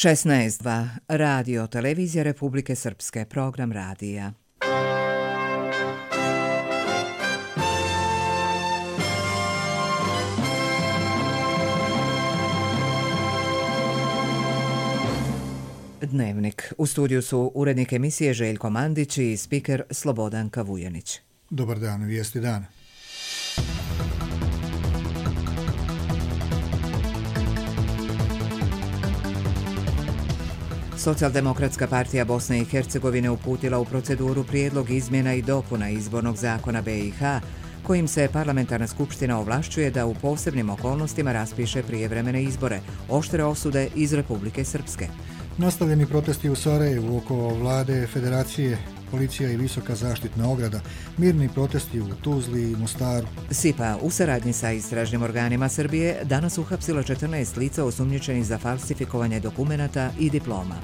16.2 Radio Televizija Republike Srpske, program radija. Dnevnik. U studiju su urednik emisije Željko Mandić i spiker Slobodan Kavujanić. Dobar dan, vijesti dana. Socijaldemokratska partija Bosne i Hercegovine uputila u proceduru prijedlog izmjena i dopuna izbornog zakona BiH, kojim se parlamentarna skupština ovlašćuje da u posebnim okolnostima raspiše prijevremene izbore, oštre osude iz Republike Srpske. Nastavljeni protesti u Sarajevu oko vlade, federacije, policija i visoka zaštitna ograda, mirni protesti u Tuzli i Mostaru. SIPA u saradnji sa istražnim organima Srbije danas uhapsila 14 lica osumnjičenih za falsifikovanje dokumenata i diploma.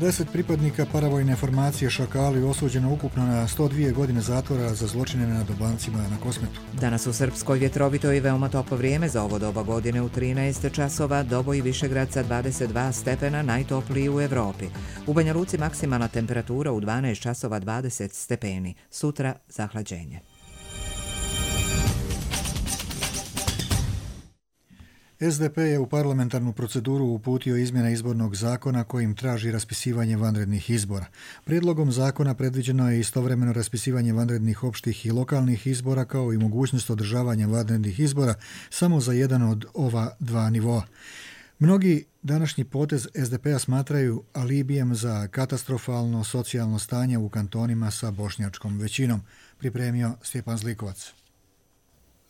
10 pripadnika paravojne formacije Šakali osuđeno ukupno na 102 godine zatvora za zločine nad Albancima na Kosmetu. Danas u Srpskoj vjetrovito i veoma toplo vrijeme za ovo doba godine u 13 časova, Doboj i Višegrad sa 22 stepena, najtopliji u Evropi. U Banja Luci maksimalna temperatura u 12 časova 20 stepeni. Sutra zahlađenje. SDP je u parlamentarnu proceduru uputio izmjene izbornog zakona kojim traži raspisivanje vanrednih izbora. Prijedlogom zakona predviđeno je istovremeno raspisivanje vanrednih opštih i lokalnih izbora kao i mogućnost održavanja vanrednih izbora samo za jedan od ova dva nivoa. Mnogi današnji potez SDP-a smatraju alibijem za katastrofalno socijalno stanje u kantonima sa bošnjačkom većinom, pripremio Stjepan Zlikovac.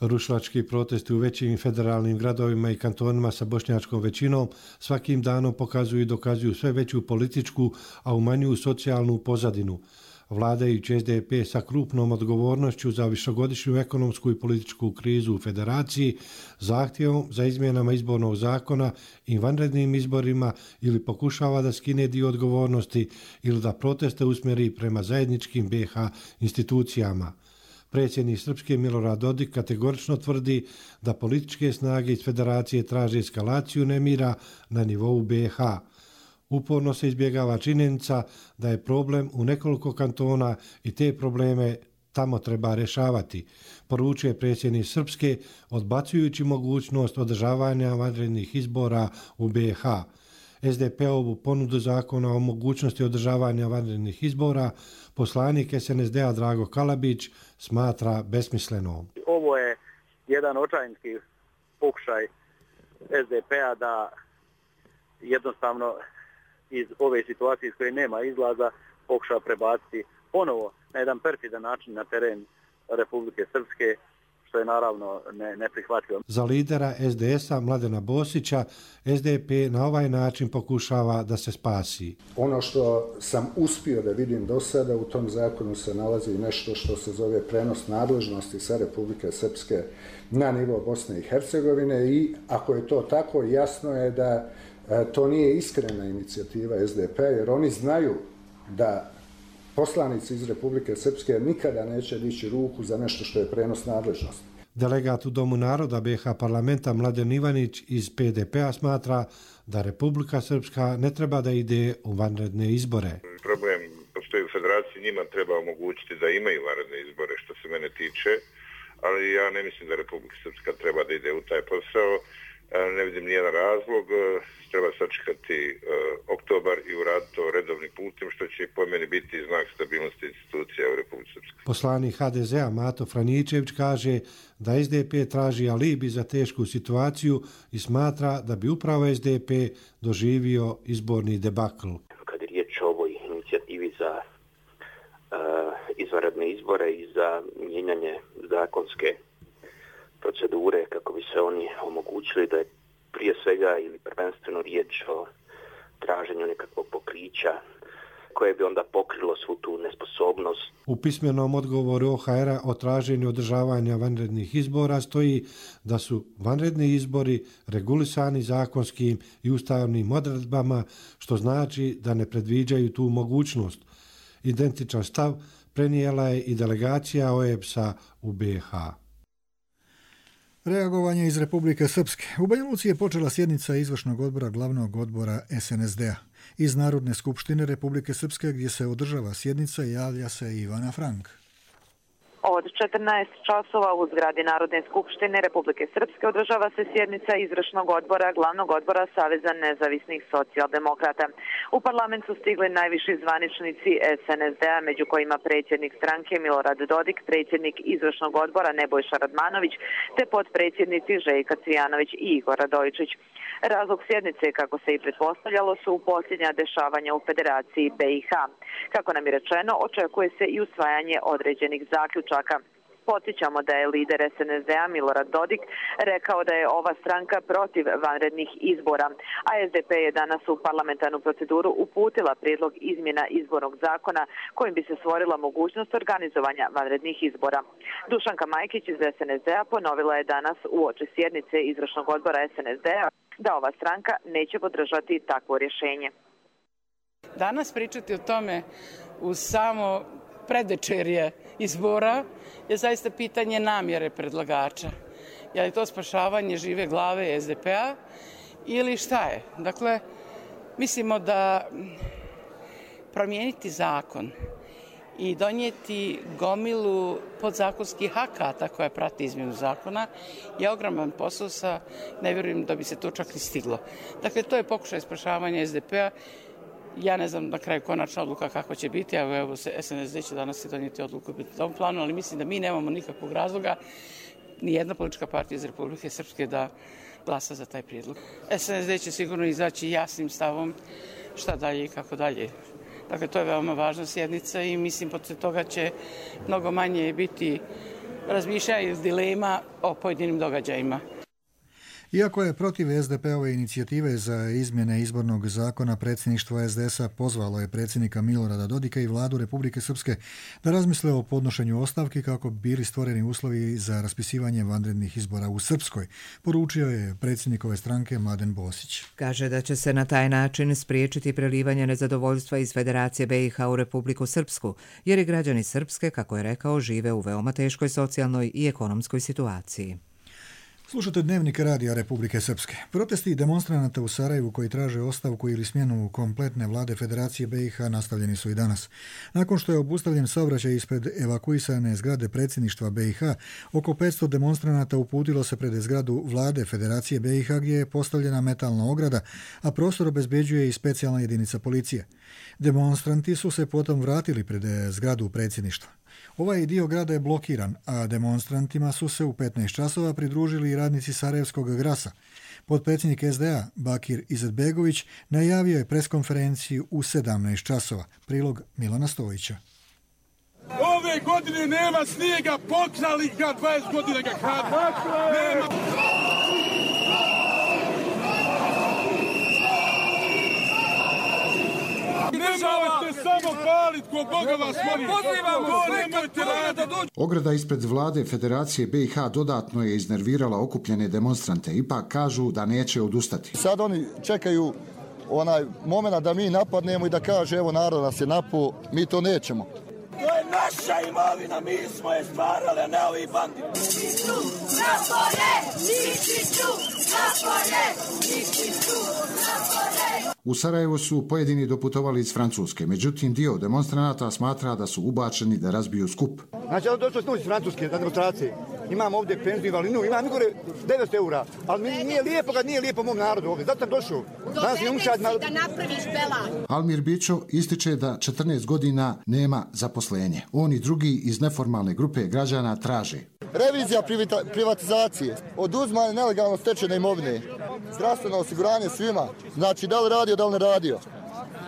Rušilački protesti u većim federalnim gradovima i kantonima sa bošnjačkom većinom svakim danom pokazuju i dokazuju sve veću političku, a umanjuju socijalnu pozadinu. Vladajući SDP sa krupnom odgovornošću za višegodišnju ekonomsku i političku krizu u federaciji, zahtjevom za izmjenama izbornog zakona i vanrednim izborima ili pokušava da skine dio odgovornosti ili da proteste usmjeri prema zajedničkim BiH institucijama. Predsjednik Srpske Milorad Dodik kategorično tvrdi da političke snage iz federacije traže eskalaciju nemira na nivou BiH. Uporno se izbjegava činjenica da je problem u nekoliko kantona i te probleme tamo treba rješavati, poručuje predsjednik Srpske, odbacujući mogućnost održavanja vanrednih izbora u BiH. SDP-ovu ponudu zakona o mogućnosti održavanja vanrednih izbora poslanik SNSD-a Drago Kalabić smatra besmislenom. Ovo je jedan očajnički pokušaj SDP-a da jednostavno iz ove situacije iz koje nema izlaza pokuša prebaciti ponovo na jedan perfidan način na teren Republike Srpske, što je naravno neprihvatljivo. Za lidera SDS-a Mladena Bosića, SDP na ovaj način pokušava da se spasi. Ono što sam uspio da vidim do sada, u tom zakonu se nalazi nešto što se zove prenos nadležnosti sa Republike Srpske na nivo Bosne i Hercegovine i ako je to tako, jasno je da to nije iskrena inicijativa SDP-a, jer oni znaju da poslanici iz Republike Srpske nikada neće dići ruku za nešto što je prenos nadležnosti. Delegat u Domu naroda BiH parlamenta Mladen Ivanić iz PDP-a smatra da Republika Srpska ne treba da ide u vanredne izbore. Problem postoji u federaciji, njima treba omogućiti da imaju vanredne izbore što se mene tiče, ali ja ne mislim da Republika Srpska treba da ide u taj posao. Ne vidim nijedan razlog, treba sačekati oktobar i uraditi to redovnim putem, što će po meni biti znak stabilnosti institucija u Republici Srpskoj. Poslanik HDZ-a Mato Franičević kaže da SDP traži alibi za tešku situaciju i smatra da bi upravo SDP doživio izborni debakl. Kad je riječ o ovoj inicijativi za izvanredne izbore i za mijenjanje zakonske procedure kako bi se oni omogućili, da je prije svega ili prvenstveno riječ o traženju nekakvog pokrića koje bi onda pokrilo svu tu nesposobnost. U pismenom odgovoru OHR-a o traženju održavanja vanrednih izbora stoji da su vanredni izbori regulisani zakonskim i ustavnim odredbama, što znači da ne predviđaju tu mogućnost. Identičan stav prenijela je i delegacija OEBS-a u BiH. Reagovanje iz Republike Srpske. U Banja Luci je počela sjednica izvršnog odbora glavnog odbora SNSD-a. Iz Narodne skupštine Republike Srpske gdje se održava sjednica javlja se Ivana Frank. Od 14 časova u zgradi Narodne skupštine Republike Srpske održava se sjednica izvršnog odbora glavnog odbora Saveza nezavisnih socijaldemokrata. U parlament su stigli najviši zvaničnici SNSD-a, među kojima predsjednik stranke Milorad Dodik, predsjednik izvršnog odbora Nebojša Radmanović, te potpredsjednici Željka Cvijanović i Igor Radojičić. Razlog sjednice, kako se i pretpostavljalo, su posljednja dešavanja u Federaciji BiH. Kako nam je rečeno, očekuje se i usvajanje određenih zaključaka. Podsjećamo da je lider SNSD-a Milorad Dodik rekao da je ova stranka protiv vanrednih izbora, a SDP je danas u parlamentarnu proceduru uputila prijedlog izmjena izbornog zakona kojim bi se stvorila mogućnost organizovanja vanrednih izbora. Dušanka Majkić iz SNSD-a ponovila je danas uoči sjednice izvršnog odbora SNSD-a da ova stranka neće podržati takvo rješenje. Danas pričati o tome u samo predvečerje izbora je zaista pitanje namjere predlagača. Je li to spašavanje žive glave SDP-a ili šta je? Dakle, mislimo da promijeniti zakon i donijeti gomilu podzakonskih akata koja prati izmjenu zakona je ogroman posao, ne vjerujem da bi se to čak ni stiglo. Dakle, to je pokušaj spašavanja SDP-a. Ja ne znam na kraju konačna odluka kako će biti, evo SNSD će danas donijeti odluku u tom planu, ali mislim da mi nemamo nikakvog razloga, ni jedna politička partija iz Republike Srpske da glasa za taj prijedlog. SNSD će sigurno izaći jasnim stavom šta dalje i kako dalje. Dakle, to je veoma važna sjednica i mislim poslije toga će mnogo manje biti razmišljanja i dilema o pojedinim događajima. Iako je protiv SDP-ove inicijative za izmjene izbornog zakona, predsjedništvo SDS-a pozvalo je predsjednika Milorada Dodika i vladu Republike Srpske da razmisle o podnošenju ostavki kako bi bili stvoreni uslovi za raspisivanje vanrednih izbora u Srpskoj, poručio je predsjednikove stranke Mladen Bosić. Kaže da će se na taj način spriječiti prelivanje nezadovoljstva iz Federacije BiH u Republiku Srpsku, jer i građani Srpske, kako je rekao, žive u veoma teškoj socijalnoj i ekonomskoj situaciji. Slušate Dnevnik radija Republike Srpske. Protesti demonstranata u Sarajevu koji traže ostavku ili smjenu kompletne vlade Federacije BiH nastavljeni su i danas. Nakon što je obustavljen saobraćaj ispred evakuisane zgrade predsjedništva BiH, oko 500 demonstranata uputilo se pred zgradu vlade Federacije BiH gdje je postavljena metalna ograda, a prostor obezbeđuje i specijalna jedinica policije. Demonstranti su se potom vratili pred zgradu predsjedništva. Ovaj dio grada je blokiran, a demonstrantima su se u 15 časova pridružili i radnici Sarajevskog Grasa. Potpredsjednik SDA Bakir Izetbegović najavio je preskonferenciju u 17 časova. Prilog Milana Stojića. Ove godine nema snijega, pokrali ga 20 godina ga kradu. Nema. Nemojte samo palit ko Boga vas molim. Ograda ispred vlade Federacije BiH dodatno je iznervirala okupljene demonstrante. Ipak kažu da neće odustati. Sad oni čekaju onaj moment da mi napadnemo i da kaže evo narod nas je napao, mi to nećemo. To je naša imovina, mi smo je stvarali, a ne ovi banditi. U Sarajevo su pojedini doputovali iz Francuske, međutim dio demonstranata smatra da su ubačeni da razbiju skup. Znači, ja došao sam iz Francuske na demonstracije. Imam ovdje penziju invalidnu, imam gore 900 eura, ali mi nije lijepo kad nije lijepo mom narodu ovdje, zato sam došao. Da napraviš belaj. Almir Bićo ističe da 14 godina nema zaposlenje. On i drugi iz neformalne grupe građana traže revizija privatizacije, oduzmanje nelegalno stečene imovine, zdravstveno osiguranje svima, znači da li radio, da li ne radio,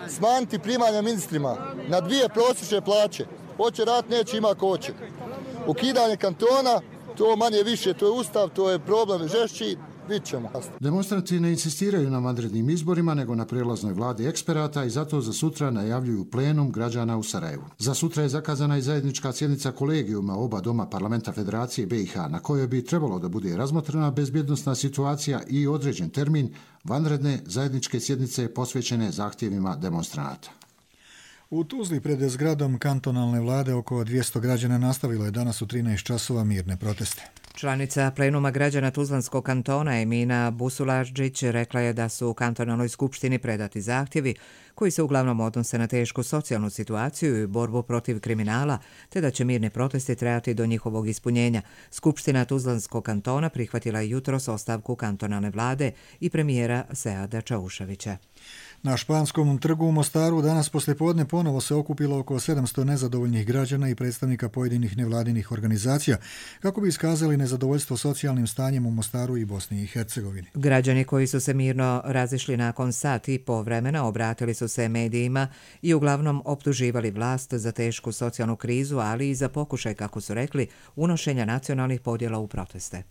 smanjiti primanja ministrima na 2 prosječne plaće, hoće rat, neće ima ko hoće, ukidanje kantona, to manje više, to je ustav, to je problem žešći, vidit ćemo. Demonstranti ne insistiraju na vanrednim izborima, nego na prelaznoj vladi eksperata i zato za sutra najavljuju plenum građana u Sarajevu. Za sutra je zakazana i zajednička sjednica kolegijuma oba doma parlamenta Federacije BiH, na kojoj bi trebalo da bude razmotrena bezbjednosna situacija i određen termin vanredne zajedničke sjednice posvećene zahtjevima demonstranata. U Tuzli pred zgradom kantonalne vlade oko 200 građana nastavilo je danas u 13 časova mirne proteste. Članica plenuma građana Tuzlanskog kantona Emina Busulađić rekla je da su u kantonalnoj skupštini predati zahtjevi koji se uglavnom odnose na tešku socijalnu situaciju i borbu protiv kriminala, te da će mirne proteste trajati do njihovog ispunjenja. Skupština Tuzlanskog kantona prihvatila je jutros ostavku kantonalne vlade i premijera Seada Čauševića. Na Španskom trgu u Mostaru danas poslijepodne ponovo se okupilo oko 700 nezadovoljnih građana i predstavnika pojedinih nevladinih organizacija kako bi iskazali nezadovoljstvo socijalnim stanjem u Mostaru i Bosni i Hercegovini. Građani koji su se mirno razišli nakon sat i po vremena obratili su se medijima i uglavnom optuživali vlast za tešku socijalnu krizu, ali i za pokušaj, kako su rekli, unošenja nacionalnih podjela u proteste.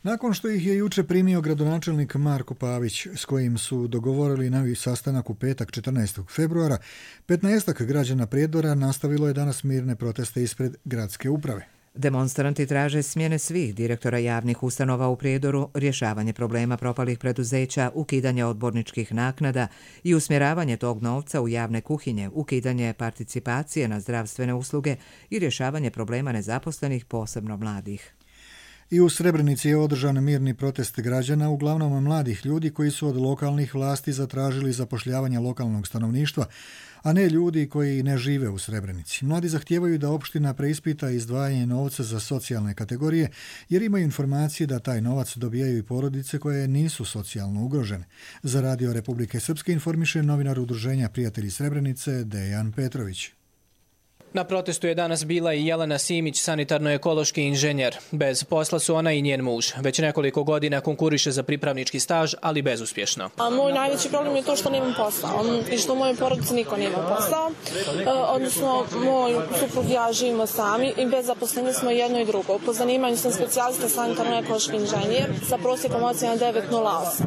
Nakon što ih je juče primio gradonačelnik Marko Pavić, s kojim su dogovorili novi sastanak u petak 14. februara, 15 građana Prijedora nastavilo je danas mirne proteste ispred gradske uprave. Demonstranti traže smjene svih direktora javnih ustanova u Prijedoru, rješavanje problema propalih preduzeća, ukidanje odborničkih naknada i usmjeravanje tog novca u javne kuhinje, ukidanje participacije na zdravstvene usluge i rješavanje problema nezaposlenih, posebno mladih. I u Srebrenici je održan mirni protest građana, uglavnom mladih ljudi koji su od lokalnih vlasti zatražili zapošljavanje lokalnog stanovništva, a ne ljudi koji ne žive u Srebrenici. Mladi zahtijevaju da opština preispita izdvajanje novca za socijalne kategorije, jer imaju informacije da taj novac dobijaju i porodice koje nisu socijalno ugrožene. Za Radio Republike Srpske informiše novinar Udruženja Prijatelji Srebrenice Dejan Petrović. Na protestu je danas bila i Jelena Simić, sanitarno-ekološki inženjer. Bez posla su ona i njen muž. Već nekoliko godina konkuriše za pripravnički staž, ali bezuspješno. Moj najveći problem je to što nemam posao i što u mojoj porodici niko nema posao. Odnosno, moj suprug i ja živimo sami i bez zaposlenja smo jedno i drugo. Po zanimanju sam specijalista sanitarno-ekološki inženjer sa prosjekom ocjena 9.08.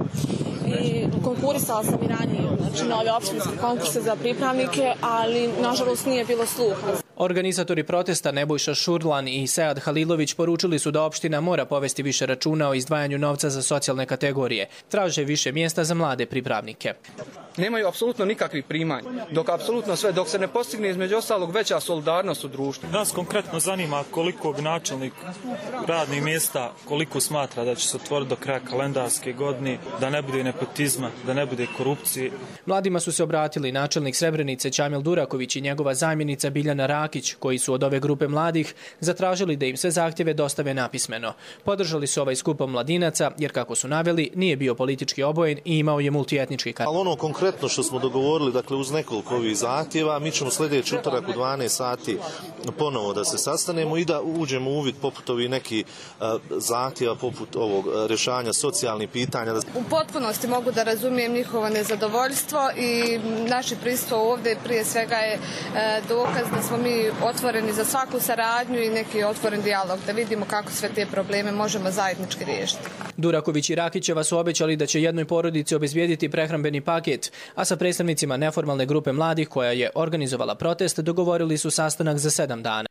I konkurisala sam i ranije na ove opštinske konkurse za pripravnike, ali nažalost nije bilo sluha. Organizatori protesta Nebojša Šurlan i Sead Halilović poručili su da opština mora povesti više računa o izdvajanju novca za socijalne kategorije. Traže više mjesta za mlade pripravnike. Nemaju apsolutno nikakvih primanja, dok se ne postigne između ostalog veća solidarnost u društvu. Nas konkretno zanima koliko bi načelnik radnih mjesta, koliko smatra da će se otvoriti do kraja kalendarske godine, da ne bude nepotizma, da ne bude korupcije. Mladima su se obratili načelnik Srebrenice Čamil Duraković i njegova zamjenica Biljana Rakić, koji su od ove grupe mladih zatražili da im sve zahtjeve dostave napismeno. Podržali su ovaj skup mladinaca, jer kako su naveli, nije bio politički obojen i imao je multietnički karakter. Ali ono konkretno što smo dogovorili, dakle uz nekoliko ovih zahtjeva, mi ćemo sljedeći utorak u 12 sati ponovo da se sastanemo i da uđemo u uvid poput ovih nekih zahtjeva, poput ovog rješavanja socijalnih pitanja. U potpunosti mogu da razumijem njihovo nezadovoljstvo i naše prisustvo ovdje prije svega je dokaz da smo mi otvoreni za svaku saradnju i neki otvoren dijalog, da vidimo kako sve te probleme možemo zajednički riješiti. Duraković i Rakićeva su obećali da će jednoj porodici obezbijediti prehrambeni paket, a sa predstavnicima neformalne grupe mladih koja je organizovala protest dogovorili su sastanak za 7 dana.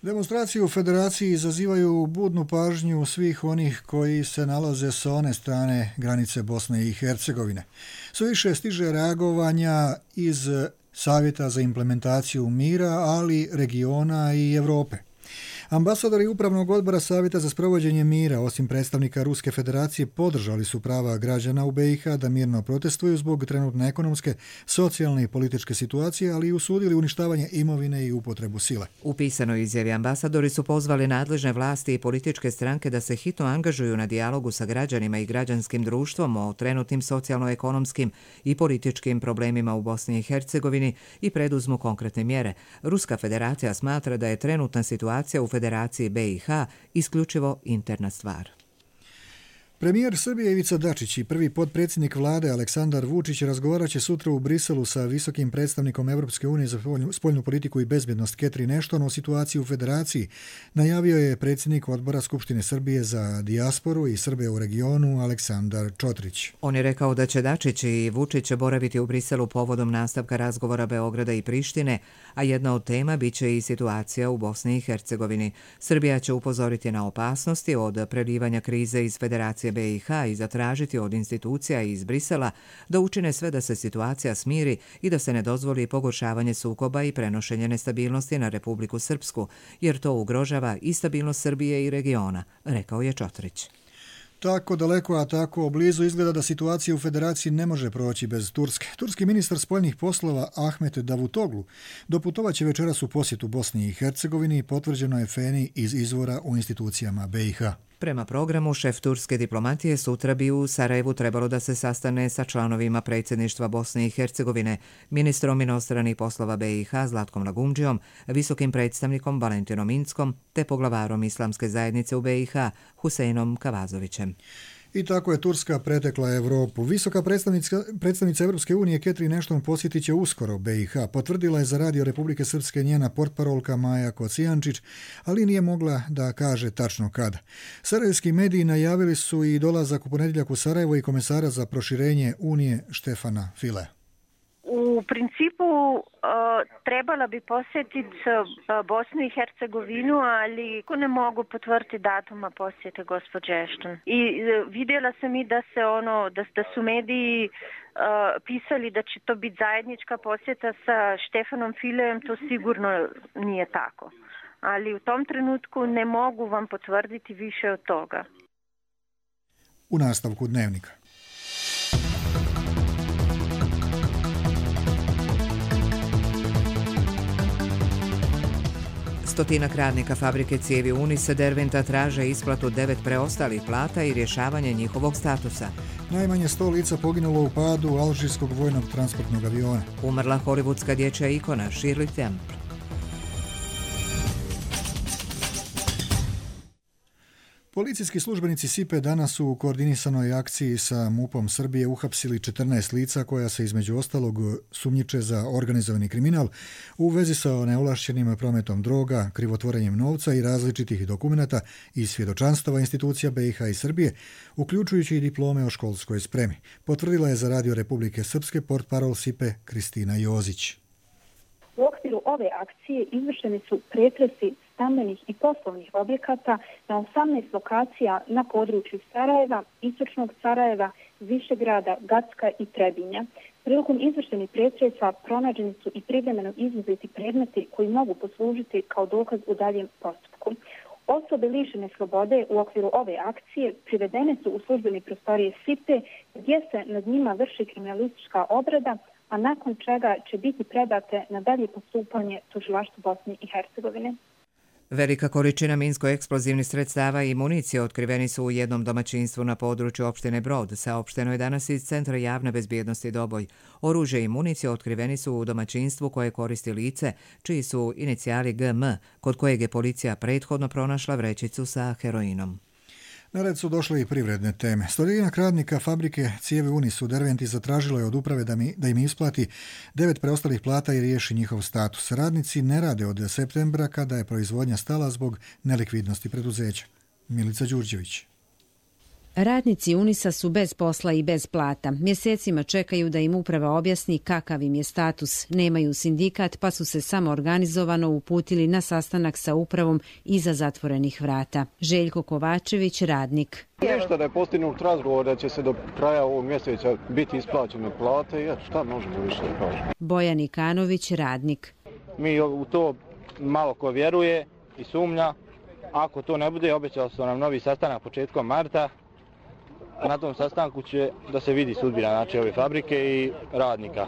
Demonstracije u Federaciji izazivaju budnu pažnju svih onih koji se nalaze sa one strane granice Bosne i Hercegovine. Sve više stiže reagovanja iz Savjeta za implementaciju mira, ali regiona i Europe. Ambasadori Upravnog odbora Savjeta za sprovođenje mira, osim predstavnika Ruske federacije, podržali su prava građana u BiH da mirno protestuju zbog trenutne ekonomske, socijalne i političke situacije, ali i usudili uništavanje imovine i upotrebu sile. U pisanoj izjavi ambasadori su pozvali nadležne vlasti i političke stranke da se hitno angažuju na dijalogu sa građanima i građanskim društvom o trenutnim socijalno-ekonomskim i političkim problemima u Bosni i Hercegovini i preduzmu konkretne mjere. Ruska federacija smatra da je trenutna situacija u Federaciji BiH isključivo interna stvar. Premijer Srbije Ivica Dačić i prvi potpredsjednik vlade Aleksandar Vučić razgovarat će sutra u Briselu sa visokim predstavnikom Europske unije za spoljnu politiku i bezbjednost Catherine Ashton o situaciji u Federaciji, najavio je predsjednik odbora Skupštine Srbije za dijasporu i Srbe u regionu Aleksandar Čotrić. On je rekao da će Dačić i Vučić boraviti u Briselu povodom nastavka razgovora Beograda i Prištine, a jedna od tema biće i situacija u Bosni i Hercegovini. Srbija će upozoriti na opasnosti od prelivanja krize iz Federacije BiH i zatražiti od institucija iz Brisela da učine sve da se situacija smiri i da se ne dozvoli pogoršavanje sukoba i prenošenje nestabilnosti na Republiku Srpsku, jer to ugrožava i stabilnost Srbije i regiona, rekao je Čotrić. Tako daleko, a tako blizu izgleda da situacija u federaciji ne može proći bez Turske. Turski ministar spoljnih poslova Ahmet Davutoglu doputovaće večeras u posjetu Bosni i Hercegovini, potvrđeno je Feni iz izvora u institucijama BiH. Prema programu, šef turske diplomatije sutra bi u Sarajevu trebalo da se sastane sa članovima predsjedništva Bosne i Hercegovine, ministrom inostranih poslova BiH Zlatkom Lagumdžijom, visokim predstavnikom Valentinom Inckom te poglavarom islamske zajednice u BiH Huseinom Kavazovićem. I tako je Turska pretekla Evropu. Visoka predstavnica Evropske unije Catherine Ashton posjetit će uskoro BiH. Potvrdila je za Radio Republike Srpske njena portparolka Maja Kocijančić, ali nije mogla da kaže tačno kada. Sarajevski mediji najavili su i dolazak u ponedjeljak u Sarajevo i komesara za proširenje Unije Štefana File. U principu trebala bi posjetiti Bosnu i Hercegovinu, ali ne mogu potvrditi datuma posjete gospođe Ashton. I vidjela sam i da su mediji pisali da će to biti zajednička posjeta sa Štefanom Filejem, to sigurno nije tako. Ali u tom trenutku ne mogu vam potvrditi više od toga. U nastavku Dnevnika. Stotinak radnika fabrike cijevi Unis Derventa traže isplatu 9 preostalih plata i rješavanje njihovog statusa. Najmanje 100 lica poginulo u padu alžirskog vojnog transportnog aviona. Umrla hollywoodska dječja ikona Shirley Temple. Policijski službenici SIPE danas su u koordinisanoj akciji sa MUP-om Srbije uhapsili 14 lica koja se između ostalog sumnjiče za organizovani kriminal u vezi sa neovlašćenim prometom droga, krivotvorenjem novca i različitih dokumenata i svjedočanstava institucija BiH i Srbije, uključujući i diplome o školskoj spremi. Potvrdila je za Radio Republike Srpske portparol SIPE Kristina Jozić. U okviru ove akcije izvršeni su pretresi stambenih i poslovnih objekata na 18 lokacija na području Sarajeva, Istočnog Sarajeva, Višegrada, Gacka i Trebinja. Prilikom izvršenih pretresa pronađeni su i privremeno izuzeti predmeti koji mogu poslužiti kao dokaz u daljem postupku. Osobe lišene slobode u okviru ove akcije privedene su u službene prostorije SIPE gdje se nad njima vrši kriminalistička obrada, a nakon čega će biti predate na dalje postupanje tužilaštvu Bosne i Hercegovine. Velika količina minsko-eksplozivnih sredstava i municije otkriveni su u jednom domaćinstvu na području opštine Brod, saopšteno je danas iz Centra javne bezbjednosti Doboj. Oružje i municije otkriveni su u domaćinstvu koje koristi lice, čiji su inicijali GM, kod kojeg je policija prethodno pronašla vrećicu sa heroinom. Na red su došle i privredne teme. Stotinak radnika fabrike cijevi Unis u Derventi zatražilo je od uprave da im isplati 9 preostalih plata i riješi njihov status. Radnici ne rade od septembra kada je proizvodnja stala zbog nelikvidnosti preduzeća. Milica Đurđević. Radnici Unisa su bez posla i bez plata. Mjesecima čekaju da im uprava objasni kakav im je status. Nemaju sindikat pa su se samo organizovano uputili na sastanak sa upravom iza zatvorenih vrata. Željko Kovačević, radnik. Ništa da je postignut razgovor da će se do kraja ovog mjeseca biti isplaćene plate i šta možemo više da kažemo. Bojan Ikanović, radnik. Mi u to malo ko vjeruje i sumnja. Ako to ne bude, obećali su nam novi sastanak početkom marta. Na tom sastanku će da se vidi sudbina znači ove fabrike i radnika.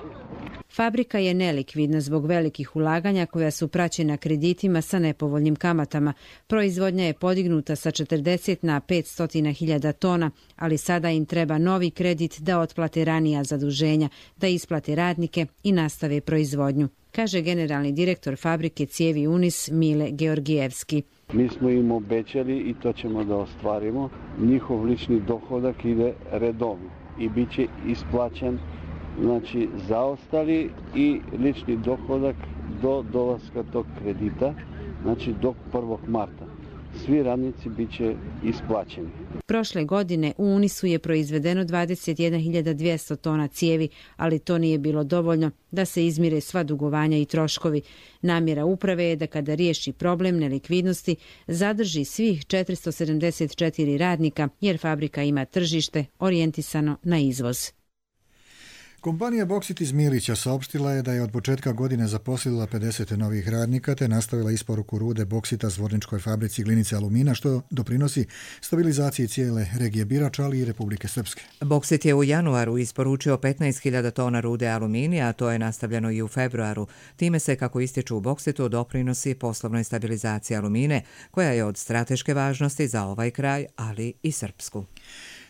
Fabrika je nelikvidna zbog velikih ulaganja koja su praćena kreditima sa nepovoljnim kamatama. Proizvodnja je podignuta sa 40 na 500.000 tona, ali sada im treba novi kredit da otplate ranija zaduženja, da isplate radnike i nastave proizvodnju, kaže generalni direktor fabrike cijevi Unis Mile Georgijevski. Mi smo im obećali i to ćemo da ostvarimo. Njihov lični dohodak ide redovno i bit će isplaćen znači zaostali i lični dohodak do dolaska tog kredita, znači do 1. marta. svi radnici bit će isplaćeni. Prošle godine u Unisu je proizvedeno 21.200 tona cijevi, ali to nije bilo dovoljno da se izmire sva dugovanja i troškovi. Namjera uprave je da kada riješi problem nelikvidnosti, zadrži svih 474 radnika, jer fabrika ima tržište orijentisano na izvoz. Kompanija Boksit iz Milića saopštila je da je od početka godine zaposlila 50 novih radnika te nastavila isporuku rude boksita Zvorničkoj fabrici glinice alumina, što doprinosi stabilizaciji cijele regije Birač, ali i Republike Srpske. Boksit je u januaru isporučio 15.000 tona rude aluminija, a to je nastavljeno i u februaru. Time se, kako ističu u Boksitu, doprinosi poslovnoj stabilizaciji alumine, koja je od strateške važnosti za ovaj kraj, ali i Srpsku.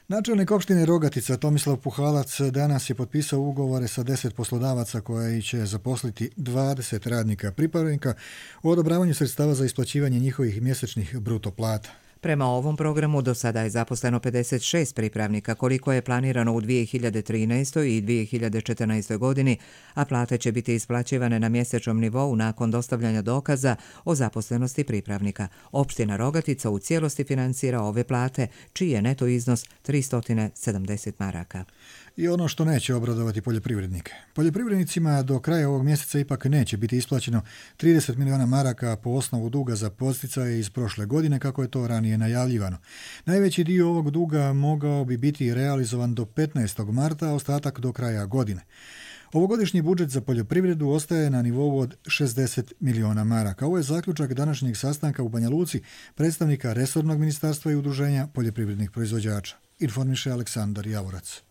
Načelnik opštine Rogatica Tomislav Puhalac danas je potpisao ugovore sa 10 poslodavaca koji će zaposliti 20 radnika pripravnika u odobravanju sredstava za isplaćivanje njihovih mjesečnih bruto plata. Prema ovom programu do sada je zaposleno 56 pripravnika, koliko je planirano u 2013. i 2014. godini, a plate će biti isplaćivane na mjesečnom nivou nakon dostavljanja dokaza o zaposlenosti pripravnika. Opština Rogatica u cijelosti financira ove plate, čiji je neto iznos 370 maraka. I ono što neće obradovati poljoprivrednike. Poljoprivrednicima do kraja ovog mjeseca ipak neće biti isplaćeno 30 miliona maraka po osnovu duga za podsticaje iz prošle godine, kako je to ranije najavljivano. Najveći dio ovog duga mogao bi biti realizovan do 15. marta, a ostatak do kraja godine. Ovogodišnji budžet za poljoprivredu ostaje na nivou od 60 miliona maraka. Ovo je zaključak današnjeg sastanka u Banja Luci predstavnika resornog ministarstva i udruženja poljoprivrednih proizvođača. Informiše Aleksandar Javorac.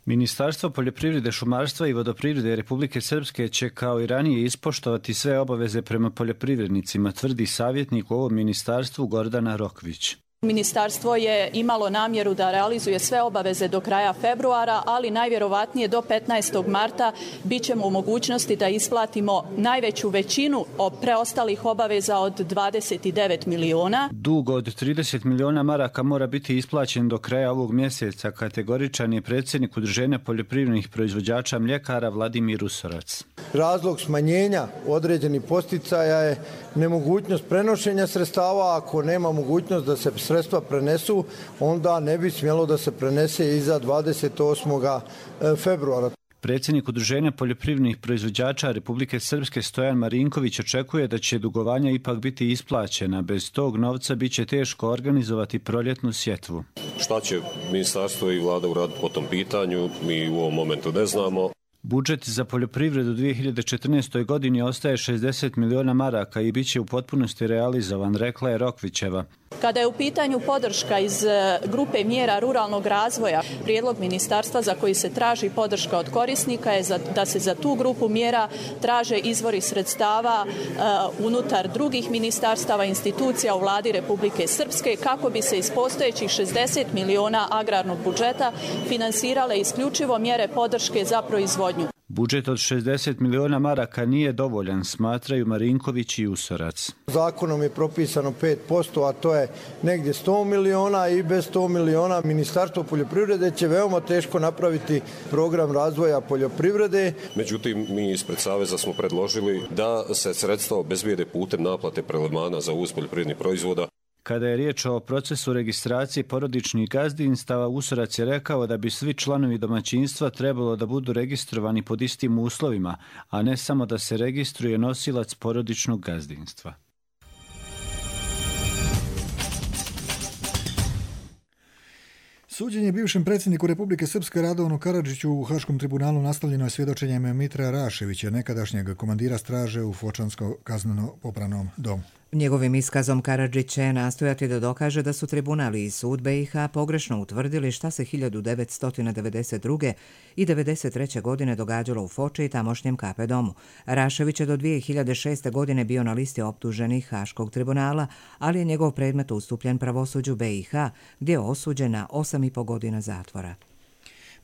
Ministarstvo poljoprivrede, šumarstva i vodoprivrede Republike Srpske će kao i ranije ispoštovati sve obaveze prema poljoprivrednicima, tvrdi savjetnik u ovom ministarstvu Gordana Rokvić. Ministarstvo je imalo namjeru da realizuje sve obaveze do kraja februara, ali najvjerovatnije do 15. marta bit ćemo u mogućnosti da isplatimo najveću većinu preostalih obaveza od 29 miliona. Dug od 30 miliona maraka mora biti isplaćen do kraja ovog mjeseca, kategoričan je predsjednik Udruženja poljoprivrednih proizvođača mljekara Vladimir Usorac. Razlog smanjenja određenih podsticaja je nemogućnost prenošenja sredstava. Ako nema mogućnost da se sredstva prenesu, onda ne bi smjelo da se prenese iza 28. februara. Predsjednik Udruženja poljoprivrednih proizvođača Republike Srpske Stojan Marinković očekuje da će dugovanja ipak biti isplaćena. Bez tog novca bit će teško organizovati proljetnu sjetvu. Šta će ministarstvo i vlada uraditi po tom pitanju, mi u ovom momentu ne znamo. Budžet za poljoprivredu u 2014. godini ostaje 60 miliona maraka i bit će u potpunosti realizovan, rekla je Rokvićeva. Kada je u pitanju podrška iz grupe mjera ruralnog razvoja, prijedlog ministarstva za koji se traži podrška od korisnika je da se za tu grupu mjera traže izvori sredstava unutar drugih ministarstava, institucija u vladi Republike Srpske, kako bi se iz postojećih 60 miliona agrarnog budžeta finansirale isključivo mjere podrške za proizvodnju. Budžet od 60 miliona maraka nije dovoljan, smatraju Marinković i Usorac. Zakonom je propisano 5%, a to je negdje 100 miliona i bez 100 miliona Ministarstvo poljoprivrede će veoma teško napraviti program razvoja poljoprivrede. Međutim, mi ispred Saveza smo predložili da se sredstva obezbijede putem naplate prelevmana za uvoz poljoprivrednih proizvoda. Kada je riječ o procesu registracije porodičnih gazdinstava, Usorac je rekao da bi svi članovi domaćinstva trebalo da budu registrovani pod istim uslovima, a ne samo da se registruje nosilac porodičnog gazdinstva. Suđenje bivšem predsjedniku Republike Srpske Radovanu Karadžiću u Haškom tribunalu nastavljeno je svjedočenjem Mitra Raševića, nekadašnjeg komandira straže u Fočanskom kazneno-popravnom domu. Njegovim iskazom Karadžić će nastojati da dokaže da su tribunali i sud BiH pogrešno utvrdili šta se 1992. i 1993. godine događalo u Foči i tamošnjem KP domu. Rašević je do 2006. godine bio na listi optuženih Haškog tribunala, ali je njegov predmet ustupljen pravosuđu BiH, gdje je osuđen na 8,5 godina zatvora.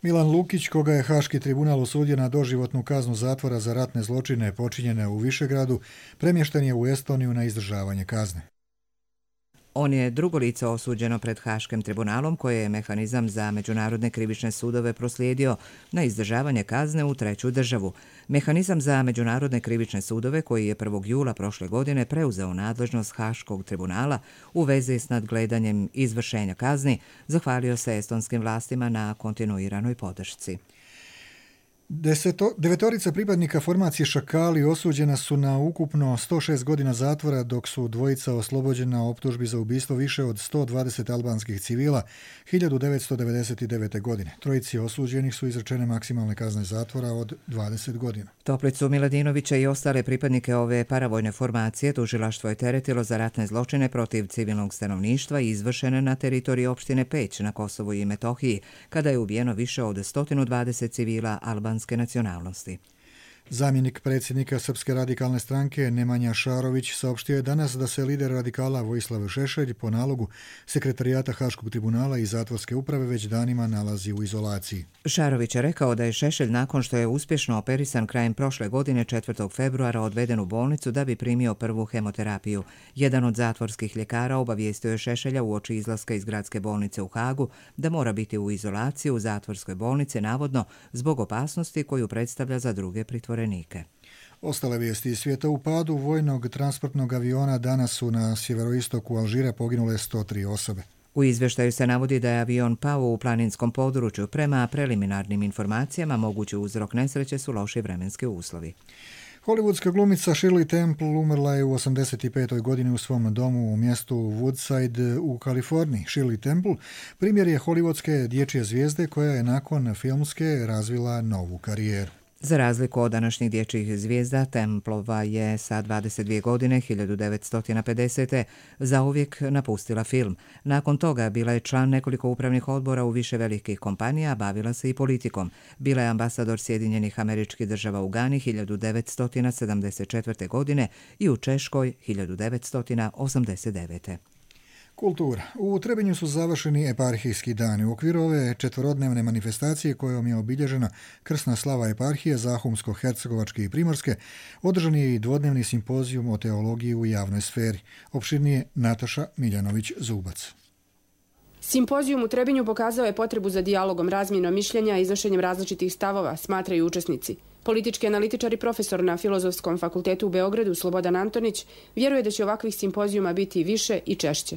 Milan Lukić, koga je Haški tribunal osudio na doživotnu kaznu zatvora za ratne zločine počinjene u Višegradu, premješten je u Estoniju na izdržavanje kazne. On je drugo lice osuđeno pred Haškim tribunalom koje je mehanizam za međunarodne krivične sudove proslijedio na izdržavanje kazne u treću državu. Mehanizam za međunarodne krivične sudove koji je 1. jula prošle godine preuzeo nadležnost Haškog tribunala u vezi s nadgledanjem izvršenja kazni, zahvalio se estonskim vlastima na kontinuiranoj podršci. Devetorica pripadnika formacije Šakali osuđena su na ukupno 106 godina zatvora, dok su dvojica oslobođena optužbi za ubistvo više od 120 albanskih civila 1999. godine. Trojici osuđenih su izrečene maksimalne kazne zatvora od 20 godina. Toplicu Miladinovića i ostale pripadnike ove paravojne formacije tužilaštvo je teretilo za ratne zločine protiv civilnog stanovništva i izvršene na teritoriji opštine Peć na Kosovu i Metohiji, kada je ubijeno više od 120 civila albanske nacionalnosti. Zamjenik predsjednika Srpske radikalne stranke Nemanja Šarović saopštio je danas da se lider radikala Vojislav Šešelj po nalogu sekretarijata Haškog tribunala i zatvorske uprave već danima nalazi u izolaciji. Šarović je rekao da je Šešelj nakon što je uspješno operisan krajem prošle godine 4. februara odveden u bolnicu da bi primio prvu hemoterapiju. Jedan od zatvorskih ljekara obavijestio je Šešelja uoči izlaska iz gradske bolnice u Hagu da mora biti u izolaciji u zatvorskoj bolnici navodno zbog opasnosti koju predstavlja za druge pritvorenike. Ostale vijesti iz svijeta: u padu vojnog transportnog aviona danas su na sjeveroistoku Alžira poginule 103 osobe. U izvještaju se navodi da je avion pao u planinskom području. Prema preliminarnim informacijama mogući uzrok nesreće su loši vremenski uslovi. Hollywoodska glumica Shirley Temple umrla je u 85. godini u svom domu u mjestu Woodside u Kaliforniji. Shirley Temple primjer je hollywoodske dječje zvijezde koja je nakon filmske razvila novu karijeru. Za razliku od današnjih dječjih zvijezda, Templova je sa 22 godine 1950. zauvijek napustila film. Nakon toga bila je član nekoliko upravnih odbora u više velikih kompanija, bavila se i politikom. Bila je ambasador Sjedinjenih Američkih Država u Gani 1974. godine i u Češkoj 1989. Kultura. U Trebinju su završeni eparhijski dani. U okviru ove četvorodnevne manifestacije kojom je obilježena krsna slava eparhije Zahumsko-Hercegovačke i Primorske, održan je i dvodnevni simpozijum o teologiji u javnoj sferi. Opširnije Nataša Miljanović-Zubac. Simpozijum u Trebinju pokazao je potrebu za dijalogom, razmjenom mišljenja i iznošenjem različitih stavova, smatraju učesnici. Politički analitičar i profesor na Filozofskom fakultetu u Beogradu Slobodan Antonić vjeruje da će ovakvih simpozijuma biti više i češće.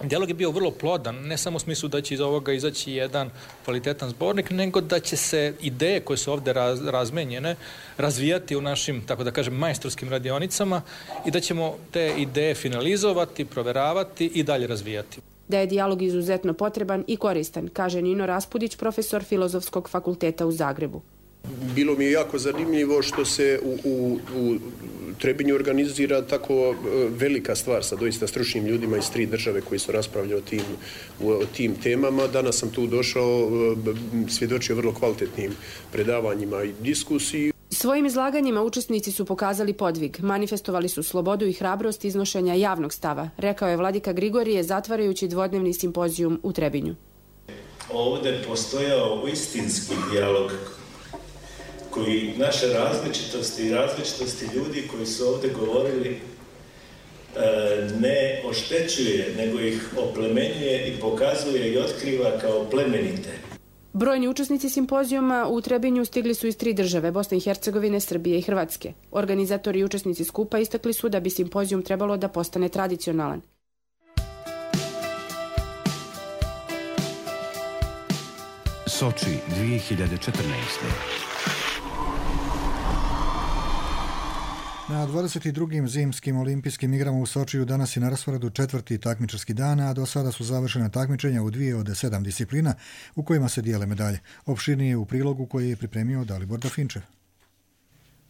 Dijalog je bio vrlo plodan, ne samo u smislu da će iz ovoga izaći jedan kvalitetan zbornik, nego da će se ideje koje su ovdje razmenjene razvijati u našim, tako da kažem, majstorskim radionicama i da ćemo te ideje finalizovati, proveravati i dalje razvijati. Da je dijalog izuzetno potreban i koristan, kaže Nino Raspudić, profesor Filozofskog fakulteta u Zagrebu. Bilo mi je jako zanimljivo što se u Trebinju organizira tako velika stvar sa doista stručnim ljudima iz 3 države koji su raspravljali o tim temama. Danas sam tu došao, svjedočio vrlo kvalitetnim predavanjima i diskusiji. Svojim izlaganjima učesnici su pokazali podvig, manifestovali su slobodu i hrabrost iznošenja javnog stava, rekao je vladika Grigorije zatvarajući dvodnevni simpozijum u Trebinju. Ovdje postojao istinski dijalog koji naše različitosti i različitosti ljudi koji su ovdje govorili ne oštećuje, nego ih oplemenjuje i pokazuje i otkriva kao plemenite. Brojni učesnici simpozijuma u Trebinju stigli su iz 3 države, Bosne i Hercegovine, Srbije i Hrvatske. Organizatori i učesnici skupa istakli su da bi simpozijum trebalo da postane tradicionalan. Soči 2014. Na 22. zimskim olimpijskim igrama u Sočiju danas je na rasporedu 4. takmičarski dan, a do sada su završena takmičenja u 2 od 7 disciplina u kojima se dijele medalje. Opširnije u prilogu koji je pripremio Dalibor Dafinčev.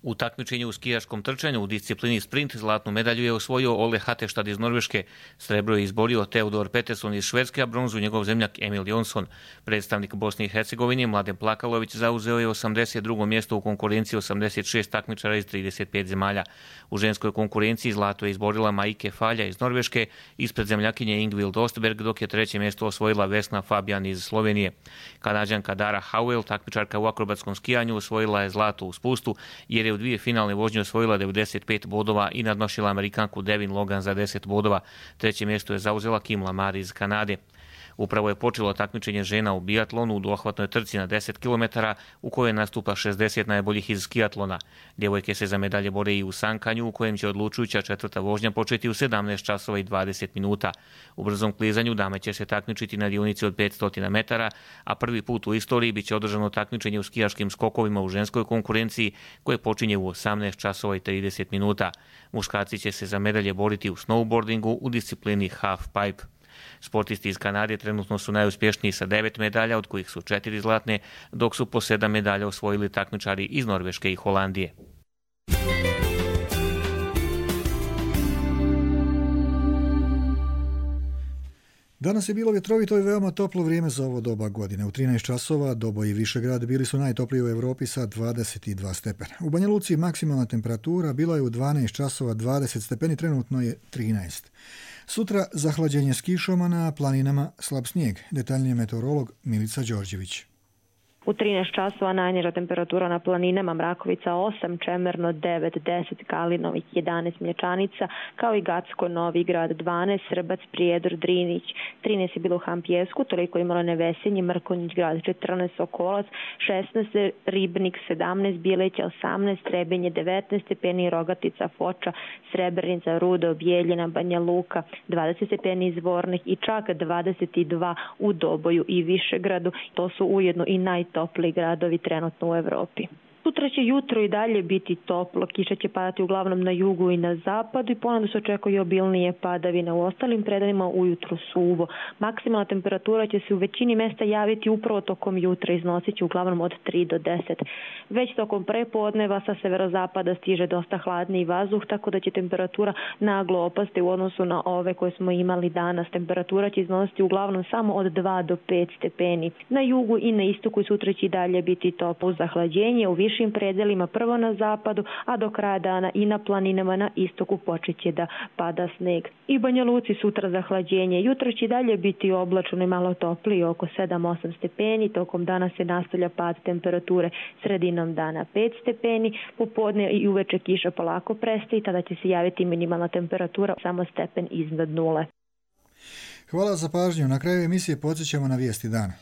U takmičenju u skijaškom trčanju u disciplini sprint zlatnu medalju je osvojio Ole Hateštad iz Norveške, srebro je izborio Teodor Peterson iz Švedske, a bronzu njegov zemljak Emil Jonsson. Predstavnik Bosne i Hercegovine Mladen Plakalović zauzeo je 82. mjesto u konkurenciji 86 takmičara iz 35 zemalja. U ženskoj konkurenciji zlato je izborila Maike Falja iz Norveške ispred zemljakinje Ingvild Ostberg, dok je 3. mjesto osvojila Vesna Fabian iz Slovenije. Kanađanka Dara Howell, takmičarka u akrobatskom skijanju, osvojila je zlato u spustu jer je u 2 finalne vožnje osvojila 95 bodova i nadmašila Amerikanku Devin Logan za 10 bodova. Treće mjesto je zauzela Kim Lamar iz Kanade. Upravo je počelo takmičenje žena u biatlonu u dohvatnoj trci na 10 km u kojoj nastupa 60 najboljih iz skiatlona. Djevojke se za medalje bore i u sankanju u kojem će odlučujuća četvrta vožnja početi u 17 časova i 20 minuta. U brzom klizanju dame će se takmičiti na dionici od 500 metara, a prvi put u istoriji bit će održano takmičenje u skijaškim skokovima u ženskoj konkurenciji koje počinje u 18 časova i 30 minuta. Muškarci će se za medalje boriti u snowboardingu u disciplini half pipe. Sportisti iz Kanade trenutno su najuspješniji sa 9 medalja, od kojih su 4 zlatne, dok su po 7 medalja osvojili takmičari iz Norveške i Holandije. Danas je bilo vjetrovito i veoma toplo vrijeme za ovo doba godine. U 13 časova Doboj i Višegrad bili su najtopliji u Europi sa 22 stepena. U Banja Luci maksimalna temperatura bila je u 12 časova 20 stepeni, trenutno je 13. Sutra zahlađenje s kišom, a na planinama slab snijeg. Detaljnije meteorolog Milica Đorđević. U 13 časova najniža temperatura na planinama Mrakovica 8, Čemerno 9, 10, Kalinovik 11, Mlječanica, kao i Gacko, Novi Grad 12, Srbac, Prijedor, Drinić 13 je bilo u Hampjesku, toliko je imalo Nevesenje, Mrkonjić grad 14, Sokolac 16, Ribnik 17, Bileća 18, Trebinje 19 stepeni, Rogatica, Foča, Srebrenica, Rudo, Bijeljina, Banja Luka 20 stepeni, Zvornik i čak 22 u Doboju i Višegradu. To su ujedno i najtopliji gradovi trenutno u Evropi. Sutra će jutro i dalje biti toplo, kiša će padati uglavnom na jugu i na zapadu i ponovno se očekuje obilnije padavine. U ostalim predelima ujutro suvo. Maksimalna temperatura će se u većini mjesta javiti upravo tokom jutra, iznosit će uglavnom od 3 do 10. Već tokom prepodneva sa severozapada stiže dosta hladniji vazduh, tako da će temperatura naglo opasti u odnosu na ove koje smo imali danas. Temperatura će iznositi uglavnom samo od 2 do 5 stepeni. Na jugu i na istoku sutra će i dalje biti toplo. Zahlađenje u višim predelima prvo na zapadu, a do kraja dana i na planinama na istoku počeće da pada sneg. I Banja Luci sutra zahlađenje. Jutro će dalje biti oblačno i malo toplije, oko 7-8 stepeni. Tokom dana se nastavlja pad temperature, sredinom dana 5 stepeni. Popodne i uveče kiša polako prestaje i tada će se javiti minimalna temperatura samo stepen iznad nule. Hvala za pažnju. Na kraju emisije podsjećamo na vijesti dana.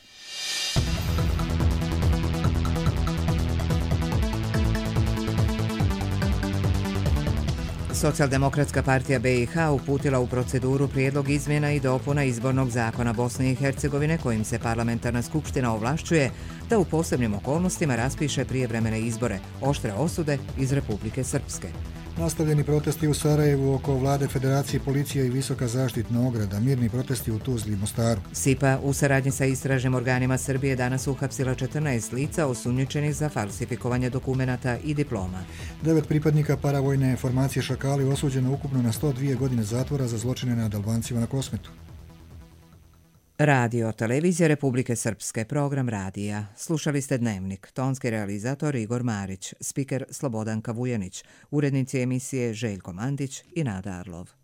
Socijaldemokratska partija BiH uputila u proceduru prijedlog izmjena i dopuna izbornog zakona Bosne i Hercegovine kojim se parlamentarna skupština ovlašćuje da u posebnim okolnostima raspiše prijevremene izbore, oštre osude iz Republike Srpske. Nastavljeni protesti u Sarajevu oko vlade Federacije, policije i visoka zaštitna ograda, mirni protesti u Tuzli i Mostaru. SIPA u saradnji sa istražnim organima Srbije danas uhapsila 14 lica osumnjičenih za falsifikovanje dokumenata i diploma. 9 pripadnika paravojne formacije Šakali osuđeno ukupno na 102 godine zatvora za zločine nad Albancima na Kosmetu. Radio Televizija Republike Srpske, program radija. Slušali ste Dnevnik, tonski realizator Igor Marić, spiker Slobodan Kavujanić, urednici emisije Željko Mandić i Nada Arlov.